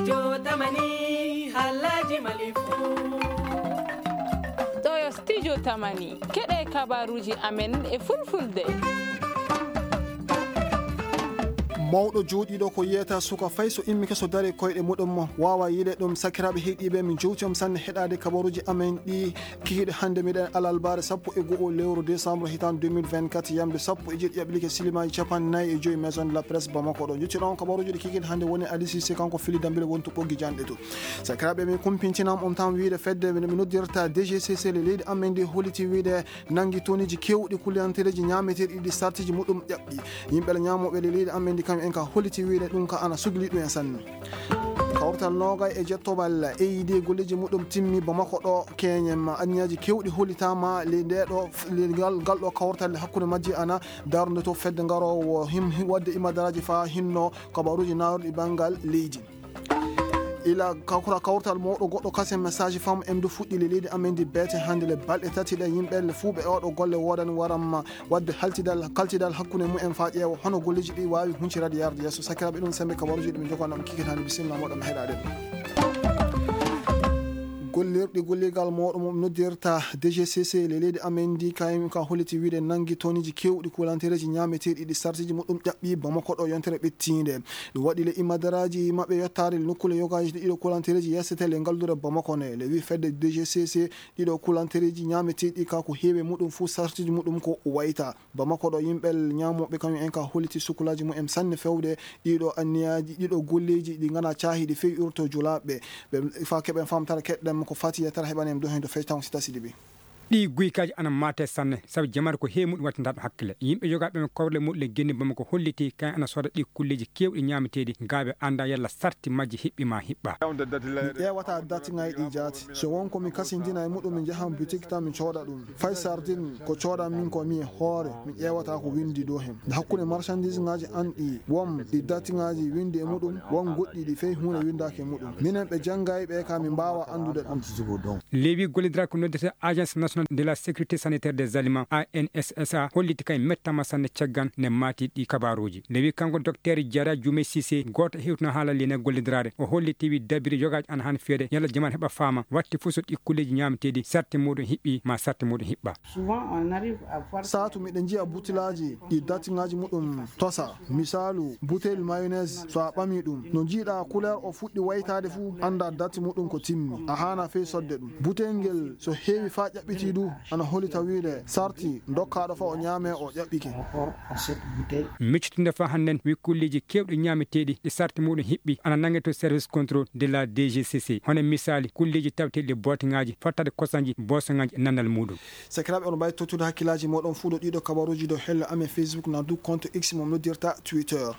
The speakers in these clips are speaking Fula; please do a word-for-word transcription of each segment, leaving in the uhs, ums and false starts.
Studio Tamani, halaji malifu. Ɗo yo Studio Tamani, keɗe kabaruji amen e fulfulde. Mawɗo jooɗiiɗo ko yiyata suka fay so immike so dari koyɗe muɗum wawa yiile ɗum. Sakiraaɓe heɗiiɓe, min jowti on sanne heɗaade kabaruji amen ɗi kikiɗe hannde. Miɗen alalbaare sappo e go'o lewru décembre hitaan deux mille vingt-quatre, yamde sappo e jeeɗiɗi yaɓɓilike silimaaji capanɗe nayi e joyi Maison de la Presse Bamako. Ɗo njottiɗon kabaruji ɗi kikiɗe hannde woni Ali Cissé, kanko fili dambile wontu ɓoggi janɗe to. Sakiraaɓe, min kumpintinam on tan wiide fedde mi noddirta D G C C le leydi amen ndi holliti wiide nangi toniji kewɗi kuliyantereji ñaameteeɗi ɗi sartiji muɗum ƴaɓɓi. Yimɓe le ñaamooɓe le leydi amen ndi kam en ka holliti wiide ɗum ka ana sugli ɗum en sanne. Kawtal noogay e jettobal E I D golleeji muɗum timmi Bamako ɗo keñen ma anniyaji kewɗi hollitama le nde ɗo le ngal, ngal ɗo kawtal hakkunde majji ana darnde to fedde ngarowo him, him, wadde imadaraaji fa hinno kabaruji naawruɗi banngal leydi. Ila kawra kawrtal mawɗo goɗɗo kasen message femme M du fuɗɗi le leydi amen ndi beete hannde le balɗe tati ɗe yimɓe le fuu ɓe oɗo golle woodani waram wadde haltidal, kaltidal hakkunde mumen fa ƴeewa hono golleeji ɗi waawi huncirade yarde yeeso. Sakiraaɓe, ɗum sembe kabaruji ɗi min jogano on kikiɗe hannde, bisimilla moɗon heɗaade ɗum. Gollirɗi golligal mawɗo mo noddirta D G C C le leydi amen ndi kaymi ka holliti wiide nangi toniji kewɗi kulantereji ñaameteeɗi ɗi sartiji muɗum ƴaɓɓi Bamako ɗo yontere ɓettiinde. Ɗum waɗi le imadaraaji maɓɓe yottaade nokkuule yogaaji ɗiɗo kulantereji yeesetee le ngaldure Bamako ne. Le wi fedde D G C C ɗiɗo kulantereji ñaameteeɗi ka ko heewi muɗum fuu sartiji muɗum ko wayta. Bamako ɗo yimɓe ñaamooɓe kañum en ka holliti sukulaaji mumen sanne fewde ɗiɗo anniyaaji, ɗiɗo golleeji ɗi ngana caahiɗi fey urto julaaɓe. Ɓe fa keɓen famtara keɗɗen ko fati yettere heɓanen ɗo heen ɗo fectan si tasidi ɓe. Ɗi guykaaji ana maate sanne, sabu jamaare ko heewi muɗum wattantaaɗo hakkille. Yimɓe yogaaɓe men kowle muɗum le genni Bamako holliti kañum ana sooda ɗi kulleeji keewɗi ñaameteeɗi, gaa ɓe annda yalla sarti majji hiɓɓi ma hiɓɓa. Mi ƴeewata dati ŋayɗi jaati. So won ko mi kasindina e muɗum, mi njahan boutique tan mi cooda ɗum. Fay sardine ko coodan min ko mi e hoore, mi ƴeewata ko windi dow hen. Nde hakkunde marchandise ŋaaji an ɗi, won ɗi dati ŋaaji windi e muɗum, won goɗɗi ɗi fey huunde windaaki e muɗum. Minen ɓe janngay ɓe ka min mbaawa anndude ɗum. Lewi gollidira ko noddete Agence Nationale de la Sécurité Sanitaire des Aliments, A N S S A, holliti kay mettama sanne caggal ne maati ɗi kabaruji. Lewi kanko Docteur Diarra Dioumé Cissé, gooto hewtino haala lene gollidiraade, o holliti wi dabiri yogaaji ana han feede yalla jaman heɓa faama, watti fof so ɗi kulleeji ñaameteeɗi sarti muɗum hiɓɓi ma sarti muɗum hiɓɓa. Souvent, on arrive à voir Saatu miɗen njiya butilaaji ɗi datiŋaaji muɗum tosa. Misaalu, buteyel mayonnaise, so a ɓami ɗum, no njiiɗa couleur o fuɗɗi waytaade fuu, annda dati muɗum ko timmi. A haana fey sodde ɗum. Buteyel ngel so heewi faa ƴaɓɓitii du, ana hollita wiide sarti dokkaaɗo faa o ñaame o ƴaɓɓike. Miccitinde faa hannden wi kulleeji keewɗi ñaameteeɗi ɗi sarti muɗum hiɓɓi ana nannge to service contrôle de la D G C C. Hono misaali, kulleeji taweteeɗi booteŋaaji, fottaade kosanji, boosoŋaaji e nannal muɗum. Sakiraaɓe, oɗon mbaawi tottude hakkillaaji mooɗon fuu ɗo ɗiɗo kabaruuji dow helle amen Facebook na du compte X mo noddirta Twitter.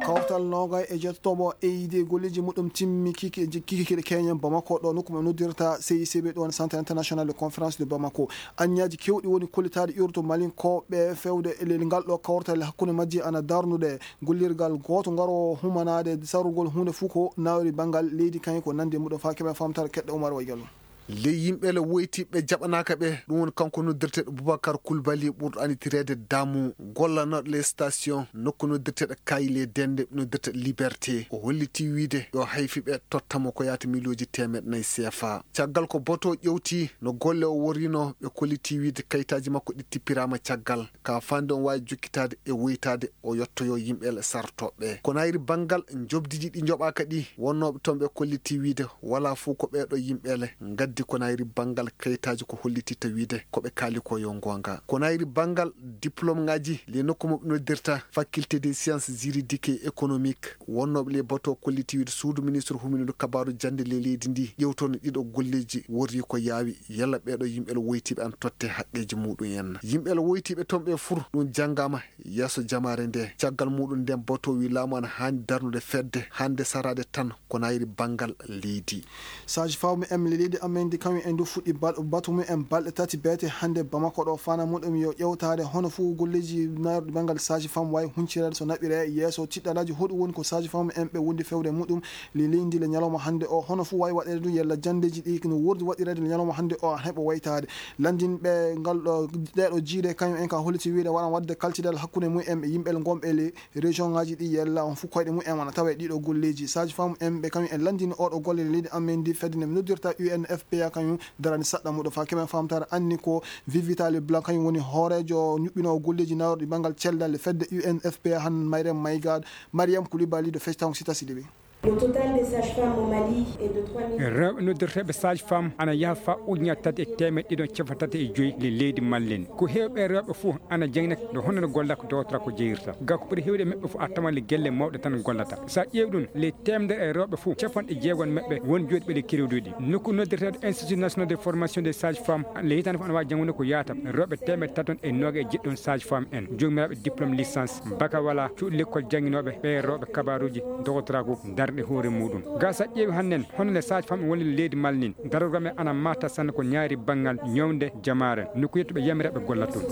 Kawtal noogay e jettooɓo E I D golleeji muɗum timmi kiki, kiki kiɗe keñen Bamako ɗo nokku mo noddirta C I C B ɗon Centre International de Conférence de Bamako. Anniyaji kewɗi woni kollitaaɗi urto malinkooɓe fewde e leydi ngal ɗo kawtal hakkunde majji ana darnude gollirgal gooto ngaroowo humanaade sarugol huunde fuu ko nawri banngal leydi kañum ko nandi e muɗum faa keɓen famtare keɗɗo Umar Waygallo. Ley yimɓe le woytiɓe jaɓanaaka ɓe, ɗum woni kanko noddirteeɗo Boubacar Koulibaly ɓurɗo annitireede Damu, gollanooɗo les station nokku noddirteeɗo Kayi le Dende, noddirteeɗo Liberté. O holliti wiide yo hayfi ɓe tottamo ko yaata miliyooji teemeɗɗe nayi C F A. Caggal ko Boto ƴewti no golle o worrino, ɓe kolliti wiide kayitaaji makko ɗi tippiraama caggal. Ka fande on waawi jokkitaade e woytaade o yottoyo yimɓe le sartoɓe. Ko nayri banngal njoɓdiji ɗi njoɓaaka ɗi, wonnooɓe toon ɓe kolliti wiide walaa fof ko ɓeeɗo yimɓe le ngaddi ko nayri banngal kayitaaji ko hollititta wiide ko ɓe kaali ko yo ngoonga. Ko nayri banngal diplôme ŋaaji le nokku mo ɓe noddirta faculté des sciences juridiques et économiques, wonnooɓe le Boto kolliti wiide suudu ministre humindu kabaaru jannde le leydi ndi ƴewtono ɗiɗo golleeji worri ko yaawi yalla ɓeeɗo yimɓe le woytiiɓe an totte haqqeeji muɗum en. Yimɓe le woytiiɓe toon ɓe fur ɗum janngaama yeeso jamaare nde. Caggal muɗum nden Boto wi laamu ana haani darnude fedde hannde saraade tan ko nayri banngal leydi. Sage femme M le leydi amen Indi kañum en du fuɗɗi bal-, batu mum en balɗe tati beete hannde Bamako ɗo. Fana muɗum yo ƴewtaade hono fuu golleeji naarɗi banngal sage femme wayi huncirede so naɓire yeeso tiɗɗalaaji hoɗum woni ko sage femme en ɓe wondi fewde muɗum le leydi le ñalawma hannde o. Hono fuu wayi waɗeede du yella janndeeji ɗi no wordi waɗireede le ñalawma hannde o a heɓa waytaade. Lanndinɓe ngal ɗo, ɗee ɗo jiiɗe kañum en ka holliti wiide waɗan waɗde kalcidal hakkunde mum en ɓe yimɓe ngonɓe le région ngaji ɗi yella on fof koyɗe mum en wona tawa e ɗiɗo golleji. Sage femme en ɓe kañum en lanndini oɗo golle leydi amen ndi fedde nde noddirta U N F P A kañum darani saɗɗa muɗo fa keɓen famtare anni ko Vivita Leblanc kañum woni hoorejo ñuɓɓinowo golleji nawrɗi banngal cellal e fedde U N F P A han Mariam Maygad, Mariam Koulibaly de fectaw sita siɗi ɓe. Le total des sages-femmes au Mali est de trois mille. Rewɓe noddirteeɓe sage femme ana yaha fa ujunere tati e teemeɗɗe ɗiɗi e cappanɗe tati e joyi le leydi Mali ndi. Ko heewɓe rewɓe fof ana jangina ɗo hono no gollata ko dowtata ko jeyirta. Ga ko ɓuri heewde maɓɓe fof a tawan le gelle mawɗe tan gollata. So a ƴeewi ɗum le teemedere e rewɓe fof cappanɗe jeegom maɓɓe won jooɗiiɓe le kerewduɗi. Nokku noddirteeɗo Institut National de Formation des Sages Femmes le hitaande fof ana waawi janngude ko yaata rewɓe teemeɗɗe tati e noogay e jeɗɗi sage femme en joomiraaɓe diplôme licence bakawala cuuɗi lekkol jannginooɓe ɓe rewɓe kabaaruuji dogotoraagu darnde hoore muɗum. Ga so a ƴeewi hannden hono le sage femme woni leydi Mali ndi darorgal men ana mata sanne ko ñaari banngal ñawnde jamaare nokku yettuɓe yamireeɓe gollata toon.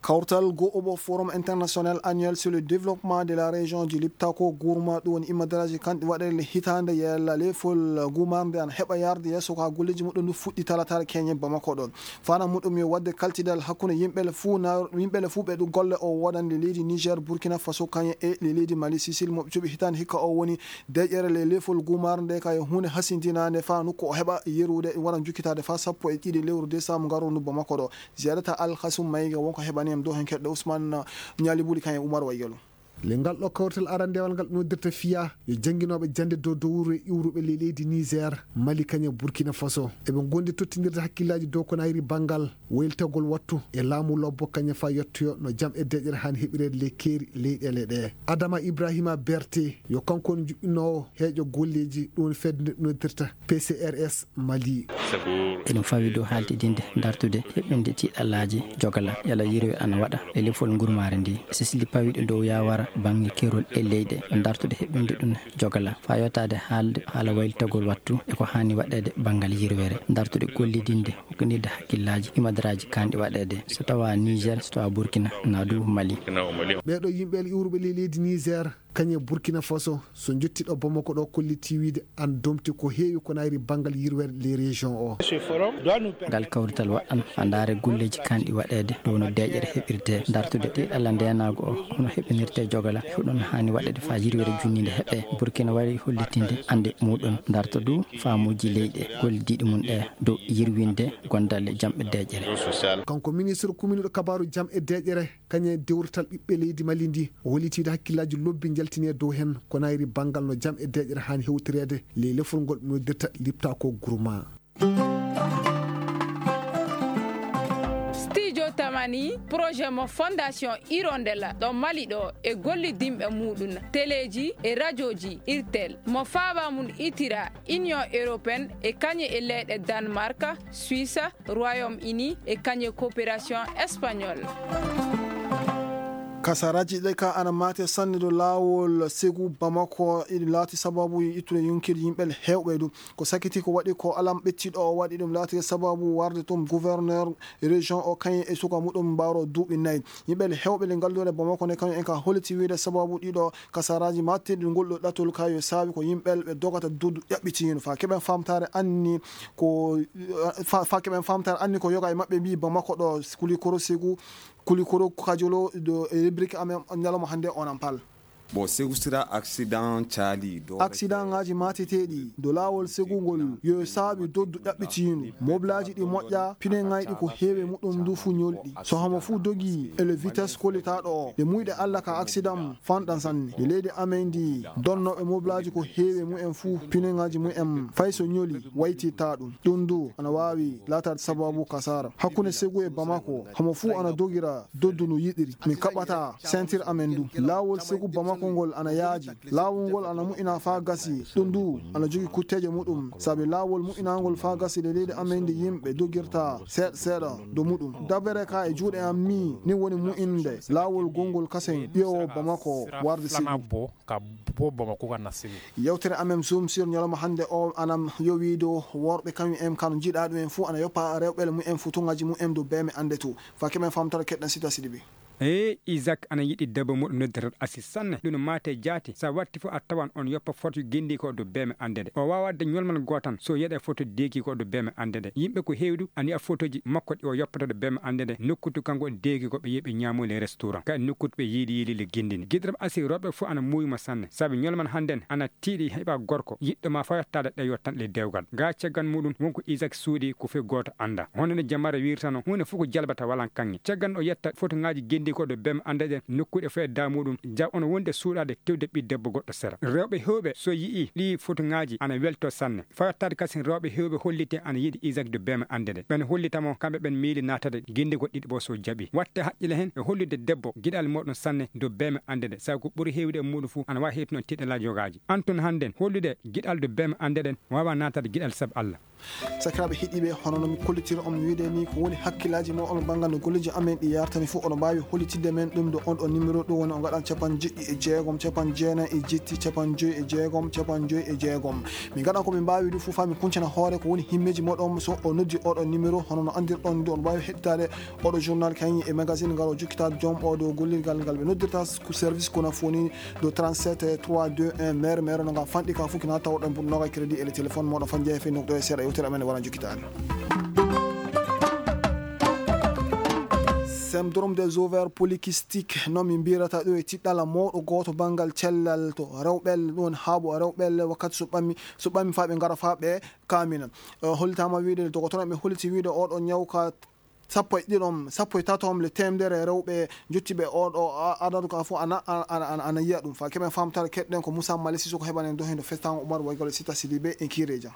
Kawtal go'oɓo Forum International Annuel sur le Développement de la Région du Liptako Gourma ɗum woni imadaraaji kanɗi waɗeele hitaande yella lefol gumarde ana heɓa yarde yeeso ko haa golleeji muɗum ndu fuɗɗi talataare keñe Bamako ɗo. Fana muɗum yo waɗde kaltidal hakkunde yimɓe le fuu na-, yimɓe le fuu ɓe ɗum golle o woodande leydi Niger, Burkina Faso kañe e le leydi Mali, Sicile mo ɓe cuɓi hitaande hikka o woni deƴƴere le lefol gumaare nde ka yo huunde hasindinaande fa nokku o heɓa yerude ɗum waɗa jukkitaade fa sappo e ɗiɗi lewru décembre ngarundu Bamako ɗo. Ziyadata Al Khasum Maïga wonko heɓani en dow hen keɗɗo Ousmane Ñali Buli kañe Oumar Wayyalo. Le ngal ɗo kawrital arandeewal ngal noddirta fiya yo jannginooɓe jannde dow dowru e iwruɓe le leydi Niger, Mali kañe Burkina Faso. Eɓe ngondi tottindirde hakkillaaji dow ko nayri banngal waylitagol wattu e laamu lobbo kañe fa yettoyo no jam e deƴƴere haani heɓireede le keeri leyɗeele ɗe. Adama Ibrahima Berte yo kanko woni juɓɓinoowo heeƴo golleeji ɗum woni fedde nde noddirta P C R S Mali. Eɗum fawi dow haaltidinde dartude heɓɓinde tiiɗalaaji jogala yala yirwe ana waɗa e lefol ngurmaare ndi. Sisli pawiiɗo dow yawara bannge kerol e leyɗe dartude heɓɓinde ɗum jogala fa yottaade haalde haala waylitagol wattu e ko haani waɗeede banngal yirwere dartude gollidinde hokkindirde hakkillaaji imadaraaji kanɗi waɗeede so tawa Niger so tawa Burkina na du Mali. Ɓeeɗo yimɓe iwruɓe le leydi Niger kañe Burkina Faso so jottiɗo Bamako ɗo kolliti wiide an domti ko heewi ko nayri banngal yirwere les régions o. Ngal kawrital waɗan fa ndaare golleeji kanɗi waɗeede dow no deeƴere heɓirte dartude ɗiɗalla ndeenaagu o hono heɓinirte jogala huɗon haani waɗeede fa yirwere junninde heɓe Burkina wari hollitinde annde muɗum darta du faamuuji leyɗe gollidiiɗi mum ɗe dow yirwinde gondalle jam e deeƴere. Kanko ministre kuminuɗo kabaaru jam e deeƴere kañe dewrital ɓiɓɓe leydi Mali ndi o hollitiide hakkillaaji lobbi njaltine dow heen ko nayri banngal no jam e deeƴere haani hewtireede ley lefol ngol noddirta lipta ko groupement. Studio Tamani projet mo Fondation Hirondella ɗo Mali ɗo e gollidinɓe muɗum teleji e rajoji irtel mo faaba mum itira Union Européenne e kañe e leyɗe Danemark, Suisse, Royaume Uni e kañe coopération espagnole. Kasaraji ɗe ka ana mate sanne do laawol segu Bamako iɗi laati sababu ittude yonkiji yimɓe hewɓe du. Ko sakiti ko waɗi ko alam ɓettiɗo o waɗi ɗum laati sababu warde tum gouverneur région o kañum e suka muɗum mbaro duuɓi nayi. Yimɓe hewɓe le ngallure Bamako ne kañum en ka holiti wiide sababu ɗiɗo kasaraji mattirɗi ngol ɗo ɗatol ka yo saabi ko yimɓe ɓe dogata dudu ƴaɓɓitiino. Fa keɓen famtare anni ko, fa, fa keɓen famtare anni ko yoga e maɓɓe mbi Bamako ɗo Kulikoro Segu, Kulikoro Kajolo ɗo e rubrique amen ñalawma hannde onan pal. Bon, Segu sira accident caali do accident ngaji mateteɗi do laawol Segu ngol yo saabi doddu ƴaɓɓitiindu. Moblaji ɗi moƴƴa, pine ngayɗi ko heewe muɗum ndu fu ñolɗi. So hamo fu dogi e le vitesse kolitaɗo o. Nde muyɗe Allah ka accident fanɗan sanne. Nde leydi amen ndi donnoɓe moblaji ko heewe mumen fu pine ngaji mumen fay so ñoli waytitta ɗum. Ɗum du ana waawi laataade sababu kasara. Hakkunde Segu e Bamako, hamo fu ana dogira doddu no yiɗiri. Min kaɓɓata sentir amen du. Laawol Segu Bamako Ngol ana yaaji. Laawol ngol ana moƴƴina faa gasi. Ɗum ndu ana jogii kutteeje muɗum. Sabi laawol moƴƴinaangol faa gasi ɗe leydi amen ndi yimɓe dogirta seeɗa seeɗa dow muɗum. Dabere ka e juuɗe am mi, ni woni moƴƴinde laawol gonngol kasen ƴeewo Bamako warde Sibi. Ka bo Bamako ka nasiri. Yewtere amen Zoom sur ñalawma hannde o ana yowii dow worɓe kañum en kano njiɗa ɗum en fof ana yoppa rewɓe mumen fof tuŋaji mumen dow beeme annde to. Fa keɓen famtara keɗɗen Sita Sidibi. Eey, Isak ana yiɗi debbo mo ɗum noddirta Asis sanne. Ɗum maate jaati, so a watti fof a tawan on yoppa foto gendii ko ɗo beeme annde nde. O waawa waɗde ñolmal gootan so yeɗa foto deeki ko ɗo beeme annde nde. Yimɓe ko heewi du ana yiya fotoji makko ɗi o yoppata ɗo beeme annde nde. Nokkutu kanko deeki ko ɓe yeɓe ñaamoyle restaurant. Kadi nokkutu ɓe yiili yiili le gendini. Giɗram Asis rewɓe fof ana muuyi mo sanne. Sabi ñolmal hannden ana tiiɗi heɓa gorko yiɗɗo ma fayottaade ɗe yottan ɗe dewgal. Ga caggal muɗum wonko Isak suuɗi ko fof gooto annda. Hono no jamare wirtano, huunde fof ko jalbata walan kaŋŋe. Caggal o yetta fotoŋaaji genndi ko ɗo bem annda ɗen nokkuuɗe fof e da muɗum. Ja ono wondi e suuɗaade tewde ɓi debbo goɗɗo sera. Rewɓe heewɓe so yi'i ɗi fotoŋaaji ana welto sanne. Fayottaade kasin rewɓe heewɓe holliti ana yiɗi Isak do bem annde ɗe. Ɓen hollita mo kamɓe ɓen miili naatade genndi goɗɗi ɗiɗi bo so jaɓi. Watte haqqile hen e hollude debbo giɗal moɗon sanne do bem annde ɗe. Sabu ko ɓuri heewde e muɗum fof ana waawi heewtuno tiɗalaaji yogaaji. Antun hannden hollude giɗal do bem annde ɗen waawa naatade giɗal sabu Allah. Sakiraaɓe heɗiiɓe, hono no mi kollitiri on, mi wiide ni ko woni hakkillaaji mon on banngal no golleeji amen ɗi yartani fof, oɗo mbaawi hollitidde men ɗum ɗo on ɗo numéro ɗum woni o ngaɗan capanɗe jeɗɗi e jeegom, capanɗe jeenayi e jetti, capanɗe joyi e jeegom, capanɗe joyi e jeegom. Min ngaɗan ko min mbaawi ɗum fof faa min kuncana hoore ko woni himmeeji moɗon so o noddi oɗo numéro, hono no anndirɗon ndu on mbaawi heɗitaade oɗo journal kañum e magazine ngal o jokkitaade joom oɗo gollirgal ngal ɓe noddirta ko service kono foni ɗo trente-sept trois deux un mere mere no ngal fanɗi ka fof kina tawɗon pour noga crédit e le téléphone moɗo fan jeefe nokɗo e seeɗa yewtere amen wala jokkitaade. Syndrome des ovaires polykystiques no mi mbirata ɗo e tiɗɗala mawɗo gooto banngal cellal to rewɓelle ɗon haaɓo rewɓelle wakkati so ɓammi so ɓammi faa ɓe ngara faa ɓe kaamina. Hollitama wiide dogotoro ɓe holliti wiide oɗo ñaw ka sappo e ɗiɗom sappo e tatom le temedere rewɓe jottiɓe oɗo adadu ka fof ana ana ana yiya ɗum fa keɓen famtare keɗɗen ko Moussa Mali Sissoko heɓanen do hendo festango Oumar Waygol Sita Sidibe e Kireja.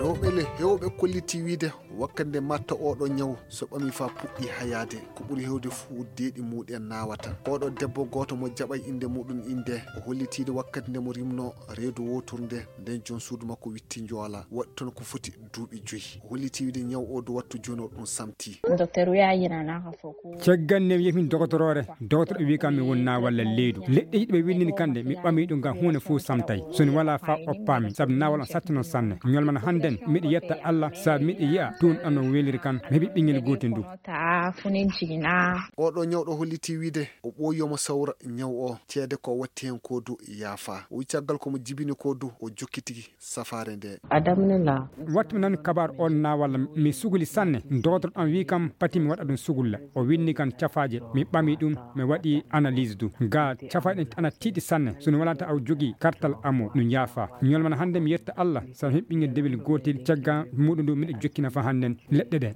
Rewɓe le hewɓe kolliti wiide wakkati nde matta oɗo ñaw so ɓami fa puɗɗi hayaade ko ɓuri hewde fuu deeɗi muɗen nawata. Oɗo debbo gooto mo jaɓay innde muɗum innde o hollitiide wakkati nde mo rimno reedu wooturnde nden joom suudu makko witti njoola waɗi toon ko foti duuɓi joyi. O holliti wiide ñaw o do wattu jooni o ɗum samti. Caggal nde mi yehi dogotoroore dogotoro wi kam mi wonnaa walla leydu leɗɗe yiɗi ɓe winndini kamɗe mi ɓami ɗum ngam huunde fof samtay so mi walaa fa oppaami sabu nawal on satti noon sanne ñolmana hannden miɗo yetta Allah sabu miɗo yiya tuun ɗan no weliri kan mi heɓi ɓinngel gootel ndu. Oɗo ñawɗo holliti wiide o ɓooyi omo sawra ñaw o ceede ko watti heen ko du yaafa o wi caggal ko mo jibini ko du o jokki tigi safaare nde. Wattu mi nani kabar on na walla mi suguli sanne dogotoro ɗan wi kam pati mi waɗa ɗum sugulla o winni kan cafaaje mi ɓami ɗum mi waɗi analyse du ga cafaaje ɗen ana tiiɗi sanne so mi walata aw jogi kartal amo ɗum yaafa ñolmana hannde mi yetta Allah sabu heɓɓinge dewel gootel cagga muɗum ndu miɗo jokkina fa hannden leɗɗe ɗe.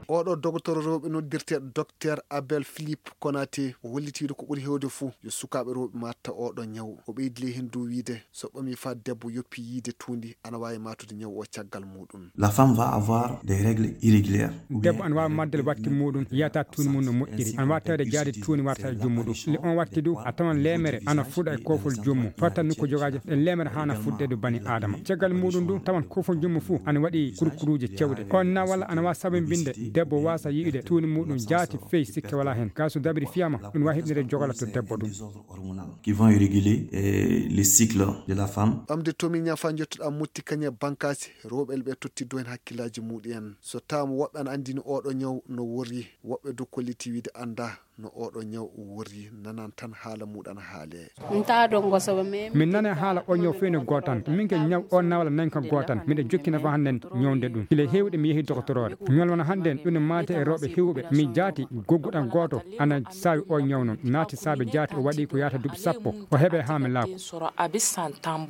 Oɗo dogotoro rewɓe noddirte docteur Abel Philippe Konaté o hollitiiɗo ko ɓuri heewde fof yo sukaaɓe rewɓe matta oɗo ñaw o ɓeydi ley heen dow wiide so ɓami fa debbo yoppi yiide tuundi ana waawi matude ñaw o caggal muɗum. La femme va avoir des règles irrégulières. Debbo ana waawi maddal watti muɗum yiyata tuundi mum no moƴƴiri ana waawi tawde jaade tuundi warta e joom muɗum le on watti du a tawan leemere ana fuɗa e koofol joom mum fawtan nokku jogaaji ɗen leemere haana fuɗde ɗo bani aadama caggal muɗum du tawan koofol joom mum fof ana waɗi kurkuruuje cewɗe on na walla ana waawi sabambinde debbo waasa yi'ude tuundi muɗum jaati fey sikke wala heen gaa so dabiri fiyama ɗum waawi heɓnire jogala to debbo ɗum. Qui vont réguler euh, les cycles de la femme. Ɓamde tomi ñafa jottuɗa motti kañe bankaasi rewɓe ɓe tottiddo heen hakkillaaji muɗum en so taama woɓɓe ana anndini oɗo ñaw no worri woɓɓe du kolliti wiide annda no oɗo ñaw worri nanan tan haala muɗum ana haale. Min nane haala o ñaw fewne gootan min ke ñaw o nawala nanka gootan miɗa jokkina fa hannden ñawde ɗum kile heewɗe mi yehi dokotoroore ñolwana hannden ɗum maate e rewɓe heewɓe mi jaati gogguɗan gooto ana saawi o ñaw noon naati saabe jaati o waɗi ko yahata duuɓi sappo o heɓe haa mi laako.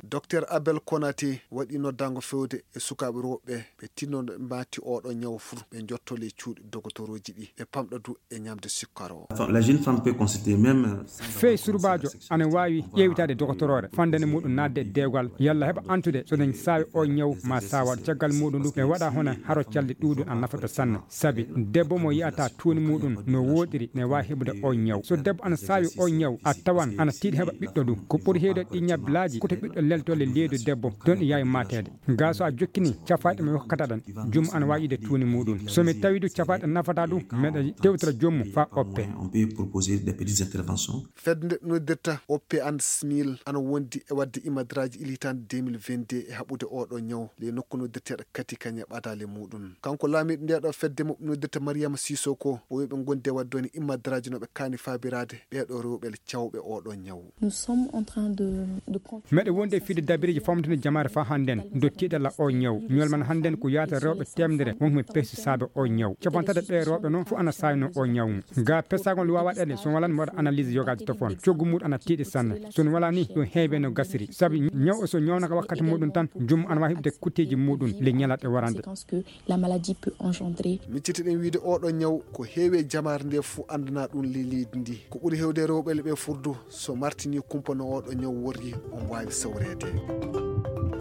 Docteur Abel Konaté waɗi noddaango fewde e sukaaɓe rewɓe ɓe tinno ɓe maati oɗo ñaw fuu ɓe njotto ley cuuɗi dogotorooji ɗi ɓe pamɗa du e ñamde sukkar o. La jeune femme peut consulter même, euh, fey surbaajo ana waawi ƴeewitaade dokotoroore fandene muɗum naatde e deegal yalla heɓa antude so dañ saawi o ñaw ma saawaɗo caggal muɗum ɗum ɓe waɗa hono haro calɗi ɗuuɗum a nafata sanne. Sabi debbo mo yiyata tuuni muɗum no woɗiri ne waawi heɓude o ñaw. So debbo ana saawi o ñaw a tawan ana tiiɗi heɓa ɓiɗɗo ɗum. Ko ɓuri heewde ɗi ñablaaji koto ɓiɗɗo leltole leydu debbo don ɗi yaawi mateede. Gaa so a jokkini cafaaɗe mi hokkata ɗan, jum ana waawi yiide tuuni muɗum. So mi tawi du cafaaɗe nafata ɗum, meɗa tewtira jommu fa oppe. On peut proposer des petites interventions. Fedde nde noddirta oppe and smil ana wondi e wadde imadraji il hitande deux mille vingt-deux e haɓude oɗo ñaw le nokku noddirteɗo kati kañe ɓadale muɗum. Kanko laamiɗo nde ɗo fedde mo noddirta Mariama Sisoko o wiɓe gonde wadde woni imadraji no ɓe kaani fabirade ɓeɗo rewɓe cawɓe oɗo ñaw. Nous sommes en train de, de con- Meɗe wonde e fide dabiriji famtinde jamaare fa hannden dottiɗe la o ñaw. Ñolman hannden ko yaata rewɓe temdere wonɓe pesti saabe o ñaw. Capantata ɓe rewɓe noon fof ana sayno o ñaw. Ga pesagol wawa ɗeɗe so walan mi waɗa analyse yogaji tofon coggu muɗum ana tiiɗi sanne. So no wala ni ɗum heewe no gasiri sabi ñaw o so ñawnaka wakkati muɗum tan jum ana wawi heɓde kutteji muɗum le ñalaɗe warande. La maladie peut engendrer. Miccitiɗen wiide oɗo ñaw ko heewi e jamaare nde fof anndana ɗum ley leydi ndi. Ko ɓuri heewde rewɓe le ɓe furdu so martini kumpa no oɗo ñaw worri on waawi sawreede.